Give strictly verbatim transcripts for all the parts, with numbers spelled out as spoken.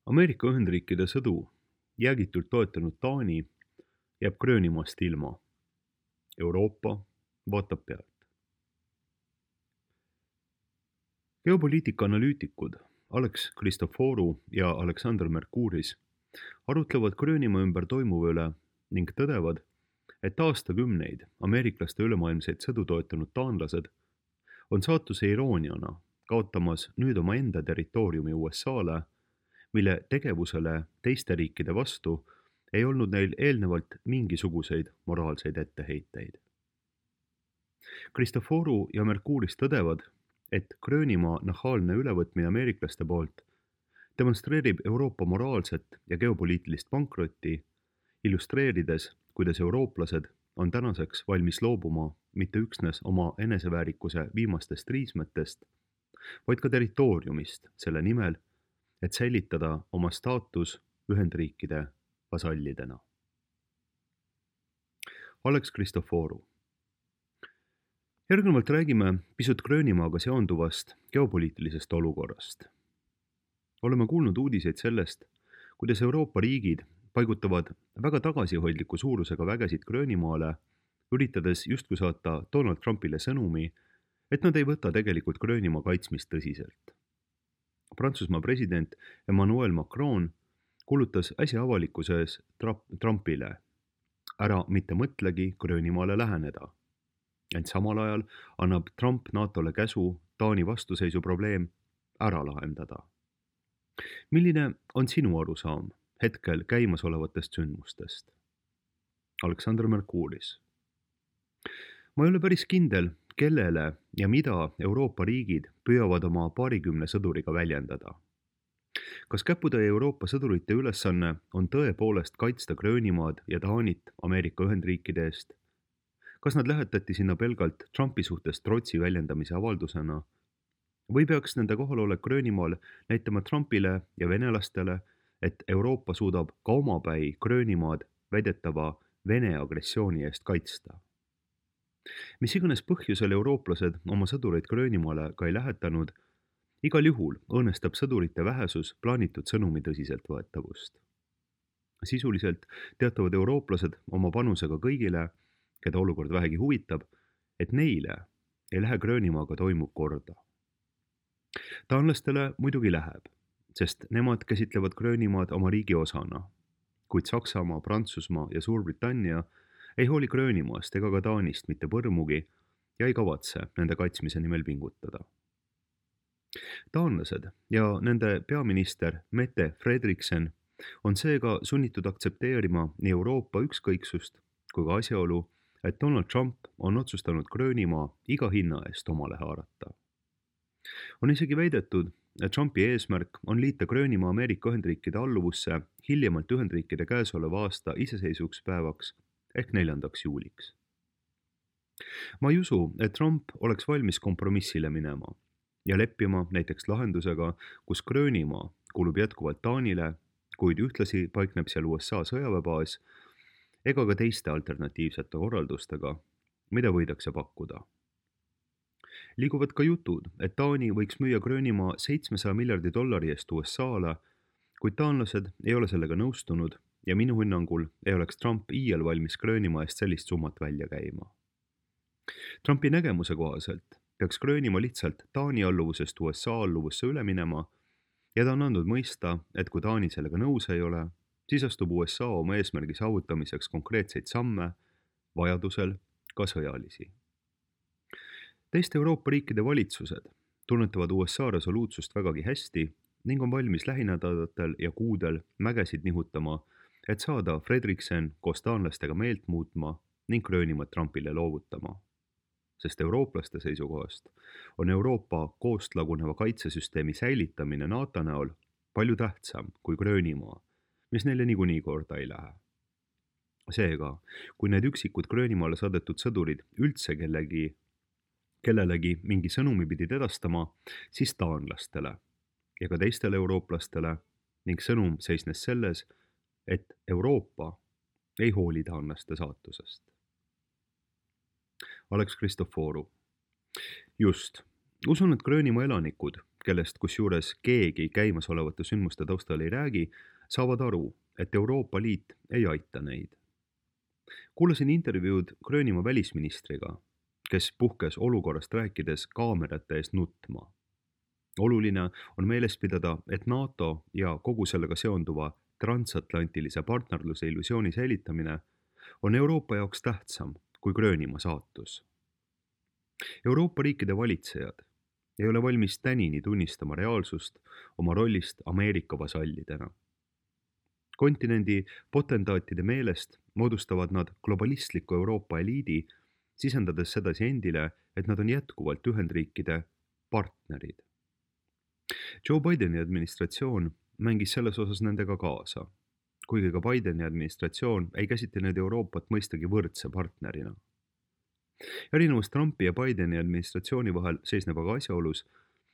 Ameerika Ühendriikide sõdu jäägitult toetanud Taani jääb Gröönimaast ilma. Euroopa vaatab pealt. Geopoliitika analüütikud Alex Christoforu ja Alexander Mercouris arutlevad Gröönimaa ümber toimuva üle ning tõdevad, et aastakümneid ameeriklaste ülemaailmseid sõdu toetanud taanlased on saatuse irooniana kaotamas nüüd omaenda territooriumi U S A-le, mille tegevusele teiste riikide vastu ei olnud neil eelnevalt mingisuguseid moraalseid etteheiteid. Christoforu ja Mercouris tõdevad, et Gröönimaa nahaalne ülevõtmine ameeriklaste poolt demonstreerib Euroopa moraalset ja geopoliitilist pankrotti, illustreerides, kuidas eurooplased on tänaseks valmis loobuma mitte üksnes oma eneseväärikuse viimastest riismetest, vaid ka territooriumist selle nimel, et säilitada oma staatus Ühendriikide vasallidena. Alex Christoforu. Järgnevalt räägime pisut Gröönimaaga seonduvast geopoliitilisest olukorrast. Oleme kuulnud uudiseid sellest, kuidas Euroopa riigid paigutavad väga tagasihoidliku suurusega vägesid Gröönimaale, üritades justkui saata Donald Trumpile sõnumi, et nad ei võta tegelikult Gröönimaa kaitsmist tõsiselt. Prantsusmaa president Emmanuel Macron kuulutas äsja avalikkuse ees Trumpile: ära mitte mõtlegi Gröönimaale läheneda. Ent samal ajal annab Trump NATOle käsu Taani vastuseisu probleem ära lahendada. Milline on sinu arusaam hetkel käimasolevatest sündmustest? Alexander Mercouris. Ma ei ole päris kindel, kellele ja mida Euroopa riigid püüavad oma paarikümne sõduriga väljendada. Kas käputäie Euroopa sõdurite ülesanne on tõepoolest kaitsta Gröönimaad ja Taanit Ameerika Ühendriikide eest? Kas nad lähetati sinna pelgalt Trumpi suhtes trotsi väljendamise avaldusena? Või peaks nende kohalolek Gröönimaal näitama Trumpile ja venelastele, et Euroopa suudab ka omapäi Gröönimaad väidetava Vene agressiooni eest kaitsta? Mis iganes põhjusel eurooplased oma sõdureid Gröönimaale ka ei lähetanud, igal juhul õõnestab sõdurite vähesus plaanitud sõnumi tõsiseltvõetavust. Sisuliselt teatavad eurooplased oma panusega kõigile, keda olukord vähegi huvitab, et neile ei lähe Gröönimaaga toimuv korda. Taanlastele muidugi läheb, sest nemad käsitlevad Gröönimaad oma riigi osana, kuid Saksamaa, Prantsusmaa ja Suurbritannia ei hooli Gröönimaast ega ka Taanist mitte põrmugi ja ei kavatse nende kaitsmise nimel pingutada. Taanlased ja nende peaminister Mette Frederiksen on seega sunnitud aktsepteerima nii Euroopa ükskõiksust kui ka asjaolu, et Donald Trump on otsustanud Gröönimaa iga hinna eest omale haarata. On isegi väidetud, et Trumpi eesmärk on liita Gröönimaa Ameerika Ühendriikide alluvusse hiljemalt Ühendriikide käesoleva aasta iseseisvukspäevaks ehk neljandaks juuliks. Ma ei usu, et Trump oleks valmis kompromissile minema ja leppima näiteks lahendusega, kus Gröönimaa kuulub jätkuvalt Taanile, kuid ühtlasi paikneb seal U S A sõjaväebaas ega ka teiste alternatiivsete korraldustega, mida võidakse pakkuda. Liiguvad ka jutud, et Taani võiks müüa Gröönimaa seitsmesaja miljardi dollari eest U S A-le, kuid taanlased ei ole sellega nõustunud ja minu hinnangul ei oleks Trump iial valmis Gröönimaa eest sellist summat välja käima. Trumpi nägemuse kohaselt peaks Gröönimaa lihtsalt Taani alluvusest U S A alluvusse üle minema ja ta on andnud mõista, et kui Taani sellega nõus ei ole, siis astub U S A oma eesmärgi saavutamiseks konkreetseid samme, vajadusel ka sõjalisi. Teiste Euroopa riikide valitsused tunnetavad U S A resoluutsust vägagi hästi ning on valmis lähinädalatel ja kuudel mägesid nihutama, et saada Frederiksen koos taanlastega meelt muutma ning Gröönimaad Trumpile loovutama. Sest eurooplaste seisukohast on Euroopa koost laguneva kaitsesüsteemi säilitamine NATO näol palju tähtsam kui Gröönimaa, mis neile niikuinii korda ei lähe. Seega, kui need üksikud Gröönimaale saadetud sõdurid üldse kellegi, kellelegi mingi sõnumi pidid edastama, siis taanlastele ja ka teistele eurooplastele ning sõnum seisnes selles, et Euroopa ei hooli taanlaste saatusest. Alex Christoforu. Just, usun, et Gröönimaa elanikud kellest kusjuures keegi käimasolevate sündmuste taustal ei räägi, saavad aru, et Euroopa Liit ei aita neid. Kuulasin intervjuud Gröönimaa välisministriga, kes puhkes olukorrast rääkides kaamerate ees nutma. Oluline on meeles pidada, et NATO ja kogu sellega seonduva transatlantilise partnerluse illusiooni säilitamine on Euroopa jaoks tähtsam kui Gröönimaa saatus. Euroopa riikide valitsejad ei ole valmis tänini tunnistama reaalsust oma rollist Ameerika vasallidena. Kontinendi potendaatide meelest moodustavad nad globalistliku Euroopa eliidi, sisendades sedasi endile, et nad on jätkuvalt Ühendriikide partnerid. Joe Bideni administratsioon mängis selles osas nendega kaasa, kuigi ka Bideni administratsioon ei käsitlenud Euroopat mõistagi võrdse partnerina. Erinevus Trumpi ja Bideni administratsiooni vahel seisneb aga asjaolus,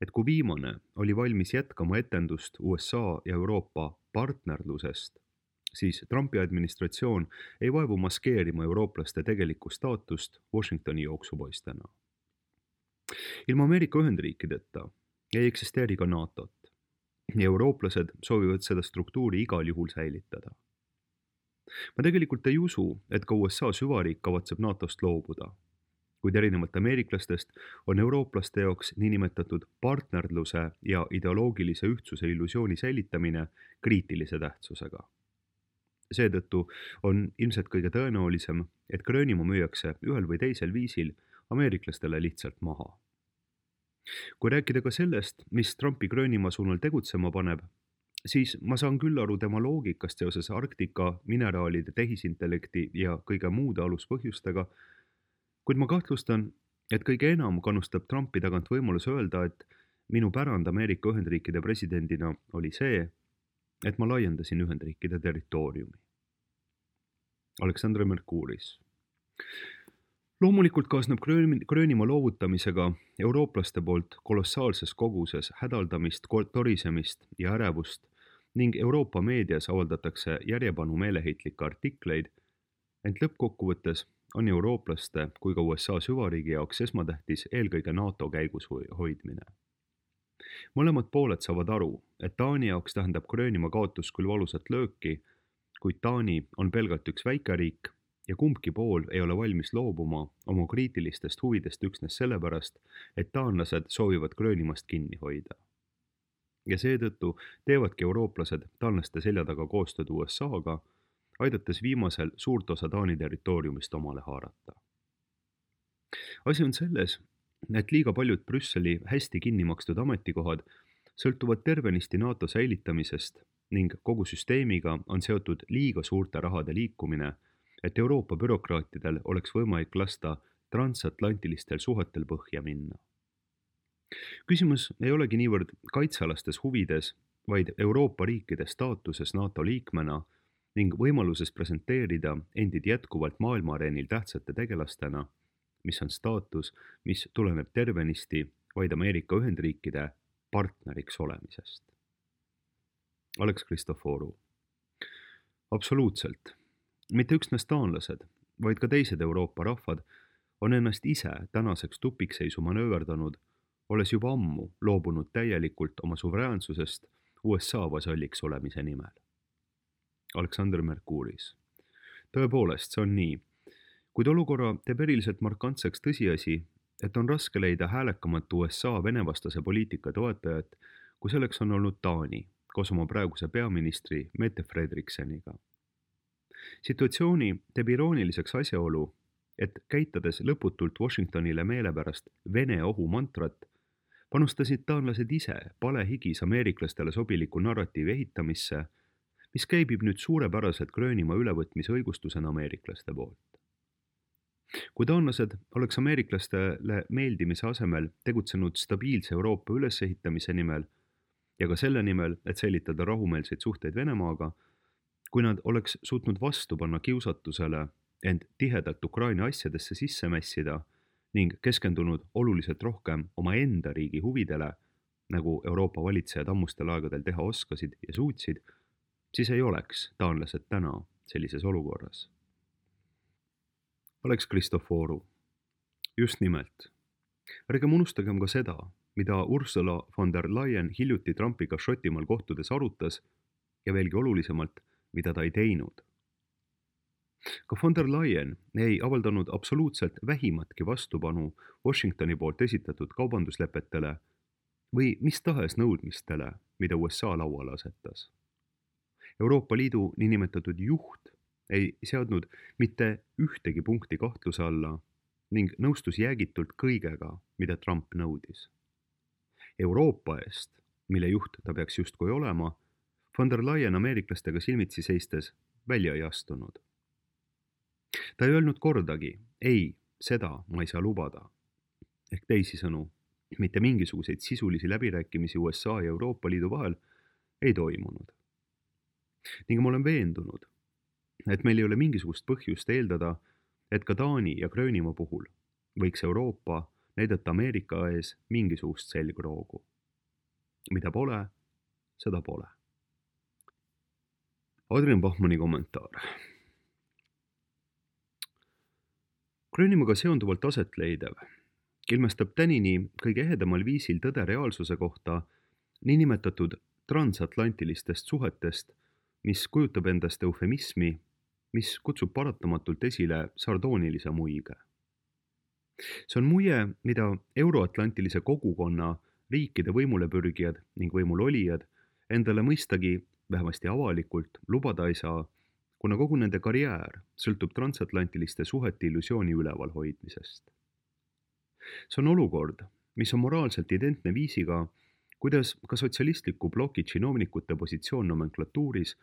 et kui viimane oli valmis jätkama etendust U S A ja Euroopa partnerlusest, siis Trumpi administratsioon ei vaevu maskeerima eurooplaste tegelikku staatust Washingtoni jooksupoistena. Ilma Ameerika Ühendriikideta ei eksisteeri ka NATOt ja eurooplased soovivad seda struktuuri igal juhul säilitada. Ma tegelikult ei usu, et ka U S A süvariik kavatseb NATOst loobuda, kuid erinevalt ameeriklastest on eurooplaste jaoks niinimetatud partnerluse ja ideoloogilise ühtsuse illusiooni säilitamine kriitilise tähtsusega. Seetõttu on ilmselt kõige tõenäolisem, et Gröönimaa müüakse ühel või teisel viisil ameeriklastele lihtsalt maha. Kui rääkida ka sellest, mis Trumpi Gröönimaa suunal tegutsema paneb, siis ma saan küll aru tema loogikast seoses Arktika, mineraalide, tehisintellekti ja kõige muude aluspõhjustega, kuid ma kahtlustan, et kõige enam kannustab Trumpi tagant võimalus öelda, et minu pärand Ameerika Ühendriikide presidendina oli see, et ma laiendasin Ühendriikide territooriumi. Aleksandr Merkuuris. Loomulikult kaasneb Gröönimaa loovutamisega eurooplaste poolt kolossaalses koguses hädaldamist, torisemist ja ärevust ning Euroopa meedias avaldatakse järjepanu meeleheitlikke artikleid, ent lõppkokkuvõttes on eurooplaste kui ka U S A süvariigi jaoks esmatähtis eelkõige NATO käigus hoidmine. Mõlemad pooled saavad aru, et Taani jaoks tähendab Gröönimaa kaotus küll valusat lööki, kuid Taani on pelgalt üks väikeriik ja kumbki pool ei ole valmis loobuma oma kriitilistest huvidest üksnes sellepärast, et taanlased soovivad Gröönimaast kinni hoida. Ja seetõttu teevadki eurooplased taanlaste selja taga koostööd U S A-ga, aidates viimasel suurt osa Taani territooriumist omale haarata. Asi on selles, et liiga paljud Brüsseli hästi kinni makstud ametikohad sõltuvad tervenisti NATO säilitamisest ning kogu süsteemiga on seotud liiga suurte rahade liikumine, et Euroopa bürokraatidel oleks võimalik lasta transatlantilistel suhetel põhja minna. Küsimus ei olegi niivõrd kaitsealastes huvides, vaid Euroopa riikide staatuses NATO liikmena ning võimaluses presenteerida endid jätkuvalt maailmaareenil tähtsate tegelastena, mis on staatus, mis tuleneb tervenisti vaid Ameerika Ühendriikide partneriks olemisest. Alex Christoforu. Absoluutselt. Mitte üksnes taanlased, vaid ka teised Euroopa rahvad on ennast ise tänaseks tupikseisu manööverdanud, olles juba ammu loobunud täielikult oma suveräänsusest U S A vasalliks olemise nimel. Aleksandr Merkuuris. Tõepoolest, see on nii, kuid olukorra teeb eriliselt markantseks tõsiasi, et on raske leida häälekamat U S A venevastase poliitika toetajat, kui selleks on olnud Taani, koos oma praeguse peaministri Mette Fredrikseniga. Situatsiooni teeb irooniliseks asjaolu, et käitades lõputult Washingtonile meelepärast Vene ohu mantrat, panustasid taanlased ise palehigis ameeriklastele sobiliku narratiivi ehitamisse, mis käibib nüüd suurepäraselt Gröönimaa ülevõtmise õigustusena ameeriklaste poolt. Kui taanlased oleks ameeriklastele meeldimise asemel tegutsenud stabiilse Euroopa ülesehitamise nimel ja ka selle nimel, et säilitada rahumeelseid suhteid Venemaaga, kui nad oleks suutnud vastu panna kiusatusele end tihedalt Ukraina asjadesse sisse mässida ning keskendunud oluliselt rohkem oma enda riigi huvidele, nagu Euroopa valitsejad ammustel aegadel teha oskasid ja suutsid, siis ei oleks taanlased täna sellises olukorras. Alex Christoforu. Just nimelt. Ärgem unustagem ka seda, mida Ursula von der Leyen hiljuti Trumpiga Šotimaal kohtudes arutas ja veelgi olulisemalt, mida ta ei teinud. Ka von der Leyen ei avaldanud absoluutselt vähimatki vastupanu Washingtoni poolt esitatud kaubanduslepetele või mis tahes nõudmistele, mida U S A lauale asetas. Euroopa Liidu niinimetatud juht ei seadnud mitte ühtegi punkti kahtluse alla ning nõustus jäägitult kõigega, mida Trump nõudis. Euroopa eest, mille juht ta peaks justkui olema, von der Leyen ameeriklastega silmitsi seistes välja ei astunud. Ta ei öelnud kordagi, ei, seda ma ei saa lubada. Ehk teisisõnu, mitte mingisuguseid sisulisi läbirääkimisi U S A ja Euroopa Liidu vahel ei toimunud. Ning ma olen veendunud, et meil ei ole mingisugust põhjust eeldada, et ka Taani ja Gröönimaa puhul võiks Euroopa näidata Ameerika ees mingisugust selgroogu. Mida pole, seda pole. Adrian Bachmanni kommentaar. Gröönimaaga seonduvalt aset leidev ilmestab tänini kõige ehedamal viisil tõde reaalsuse kohta niinimetatud transatlantilistest suhetest, mis kujutab endast eufemismi, mis kutsub paratamatult esile sardoonilise muige. See on muie, mida euroatlantilise kogukonna riikide võimulepürgijad ning võimulolijad endale mõistagi vähemasti avalikult lubada ei saa, kuna kogu nende karjäär sõltub transatlantiliste suhete illusiooni üleval hoidmisest. See on olukord, mis on moraalselt identne viisiga, kuidas ka sotsialistliku bloki činovnikute positsioon nomenklatuuris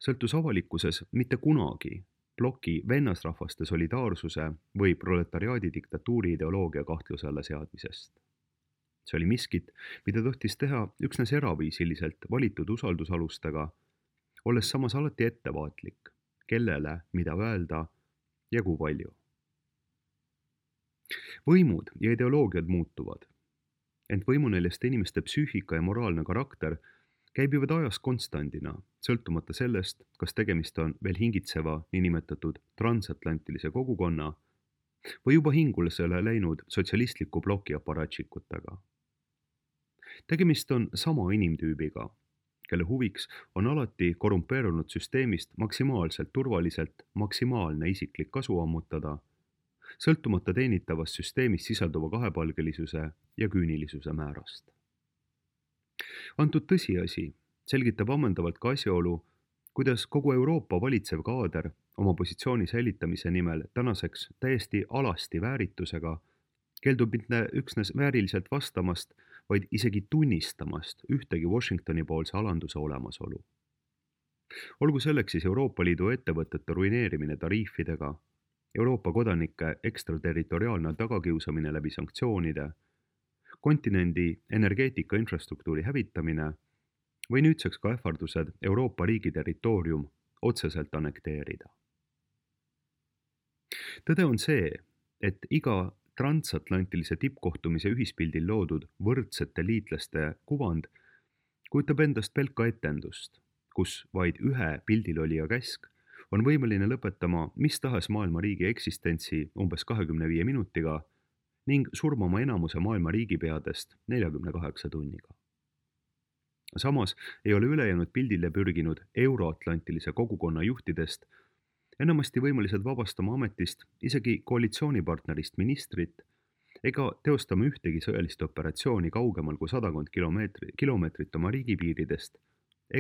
sõltus avalikkuses mitte kunagi bloki vennasrahvaste solidaarsuse või proletariaadi diktatuuri ideoloogia kahtluse alla seadmisest. See oli miskit, mida tohtis teha üksnes eraviisiliselt valitud usaldusalustega, olles samas alati ettevaatlik, kellele mida öelda ja kui palju. Võimud ja ideoloogiad muutuvad, ent võimuneljeste inimeste psüühika ja moraalne karakter käibivad ajas konstandina, sõltumata sellest, kas tegemist on veel hingitseva niinimetatud transatlantilise kogukonna või juba hingulasele läinud sotsialistliku bloki aparatšikutega. Tegemist on sama inimtüübiga, kelle huviks on alati korrumpeerunud süsteemist maksimaalselt turvaliselt maksimaalne isiklik kasu ammutada, sõltumata teenitavast süsteemis sisalduva kahepalgelisuse ja küünilisuse määrast. Antud tõsiasi selgitab ammendavalt ka asjaolu, kuidas kogu Euroopa valitsev kaader oma positsiooni säilitamise nimel tänaseks täiesti alasti vääritusega keeldub mitte üksnes vääriliselt vastamast, vaid isegi tunnistamast ühtegi Washingtoni poolse alanduse olemasolu. Olgu selleks siis Euroopa Liidu ettevõtete ruineerimine tariifidega, Euroopa kodanike ekstraterritoriaalne tagakiusamine läbi sanktsioonide, kontinendi energeetika infrastruktuuri hävitamine või nüüdseks ka ähvardused Euroopa riigi territoorium otseselt annekteerida. Tõde on see, et iga transatlantilise tippkohtumise ühispildil loodud võrdsete liitlaste kuvand kujutab endast pelka etendust, kus vaid ühe pildilolija käsk on võimeline lõpetama mis tahes maailma riigi eksistentsi umbes kahekümne viie minutiga ning surmama enamuse maailma riigipeadest neljakümne kaheksa tunniga. Samas ei ole ülejäänud pildile pürginud euroatlantilise kogukonna juhtidest enamasti võimelised vabastama ametist isegi koalitsioonipartnerist ministrit ega teostama ühtegi sõjalist operatsiooni kaugemal kui sadakond kilomeetri, kilomeetrit oma riigipiiridest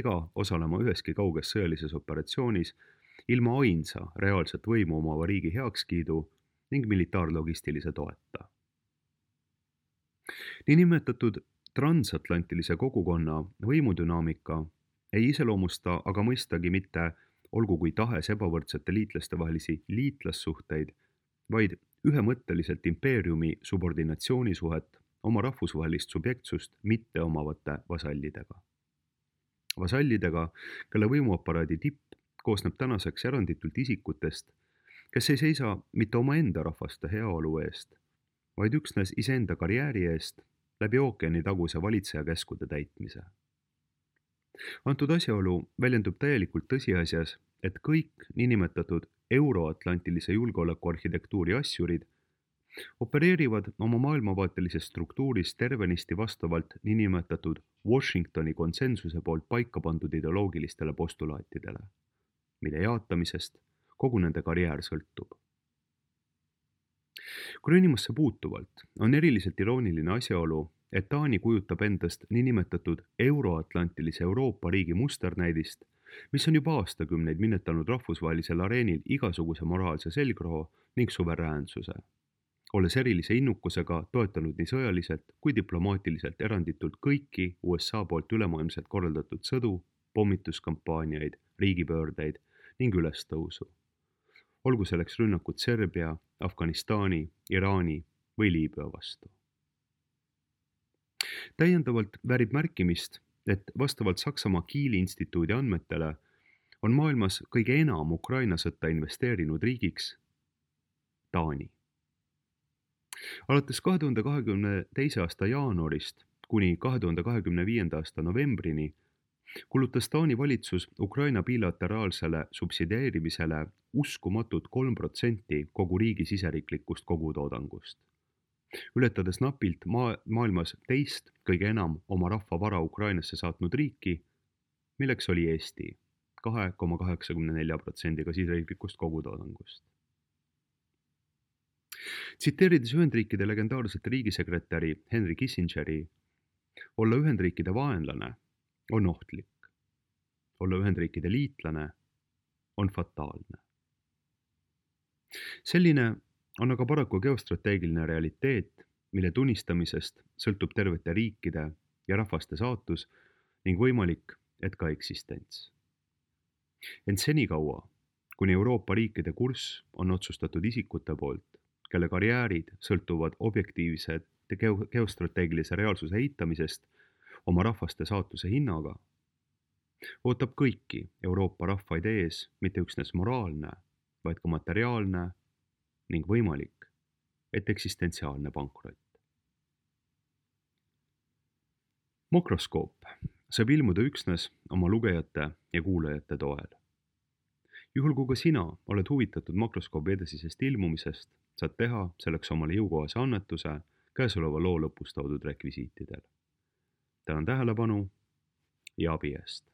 ega osalema üheski kauges sõjalises operatsioonis ilma ainsa reaalset võimu omava riigi heakskiidu ning militaarlogistilise toeta. Niinimetatud transatlantilise kogukonna võimudünaamika ei iseloomusta aga mõistagi mitte olgu kui tahes ebavõrdsete liitlaste vahelisi liitlassuhteid, vaid ühemõtteliselt impeeriumi subordinatsioonisuhet oma rahvusvahelist subjektsust mitte omavate vasallidega. Vasallidega, kelle võimuaparaadi tipp koosneb tänaseks eranditult isikutest, kes ei seisa mitte omaenda rahvaste heaolu eest, vaid üksnes iseenda karjääri eest läbi ookeani taguse valitseja käskude täitmise. Antud asjaolu väljendub täielikult tõsiasjas, et kõik niinimetatud euroatlantilise julgeolekuarhitektuuri asjurid opereerivad oma maailmavaatelises struktuuris tervenisti vastavalt niinimetatud Washingtoni konsensuse poolt paika pandud ideoloogilistele postulaatidele, mille jaatamisest kogu nende karjäär sõltub. Gröönimasse puutuvalt on eriliselt irooniline asjaolu, et Taani kujutab endast niinimetatud euroatlantilise Euroopa riigi musternäidist, mis on juba aastakümneid minetanud rahvusvahelisel areenil igasuguse moraalse selgroo ning suveräänsuse, olles erilise innukusega toetanud nii sõjaliselt kui diplomaatiliselt eranditult kõiki U S A poolt ülemaailmselt korraldatud sõdu, pommituskampaaniaid, riigipöördeid ning ülestõusu. Olgu selleks rünnakud Serbia, Afganistani, Iraani või Liibüa vastu. Täiendavalt väärib märkimist, et vastavalt Saksamaa Kieli instituudi andmetele on maailmas kõige enam Ukraina sõtta investeerinud riigiks Taani. Alates kahe tuhande kahekümne teise aasta jaanuarist kuni kahe tuhande kahekümne viienda aasta novembrini kulutas Taani valitsus Ukraina bilateraalsele subsideerimisele uskumatud kolm protsenti kogu riigi siseriiklikust kogutoodangust, ületades napilt maa, maailmas teist kõige enam oma rahva vara Ukrainasse saatnud riiki, milleks oli Eesti, kahe koma kaheksakümne nelja protsendiga siseriiklikust kogutoodangust. Tsiteerides Ühendriikide legendaarset riigisekretäri Henry Kissingeri, olla Ühendriikide vaenlane on ohtlik. Olla Ühendriikide liitlane on fataalne. Selline on aga paraku geostrateegiline realiteet, mille tunnistamisest sõltub tervete riikide ja rahvaste saatus ning võimalik, et ka eksistents. Ent senikaua, kuni Euroopa riikide kurss on otsustatud isikute poolt, kelle karjäärid sõltuvad objektiivse geostrateegilise reaalsuse eitamisest oma rahvaste saatuse hinnaga, ootab kõiki Euroopa rahvaid ees mitte üksnes moraalne, vaid ka materiaalne ning võimalik, et eksistentsiaalne pankrot. Makroskoop saab ilmuda üksnes oma lugejate ja kuulajate toel. Juhul kui ka sina oled huvitatud makroskoobi edasisest ilmumisest, saad teha selleks omale jõukohase annetuse käesoleva loo lõpus toodud rekvisiitidel. Tänan tähelepanu ja abi eest.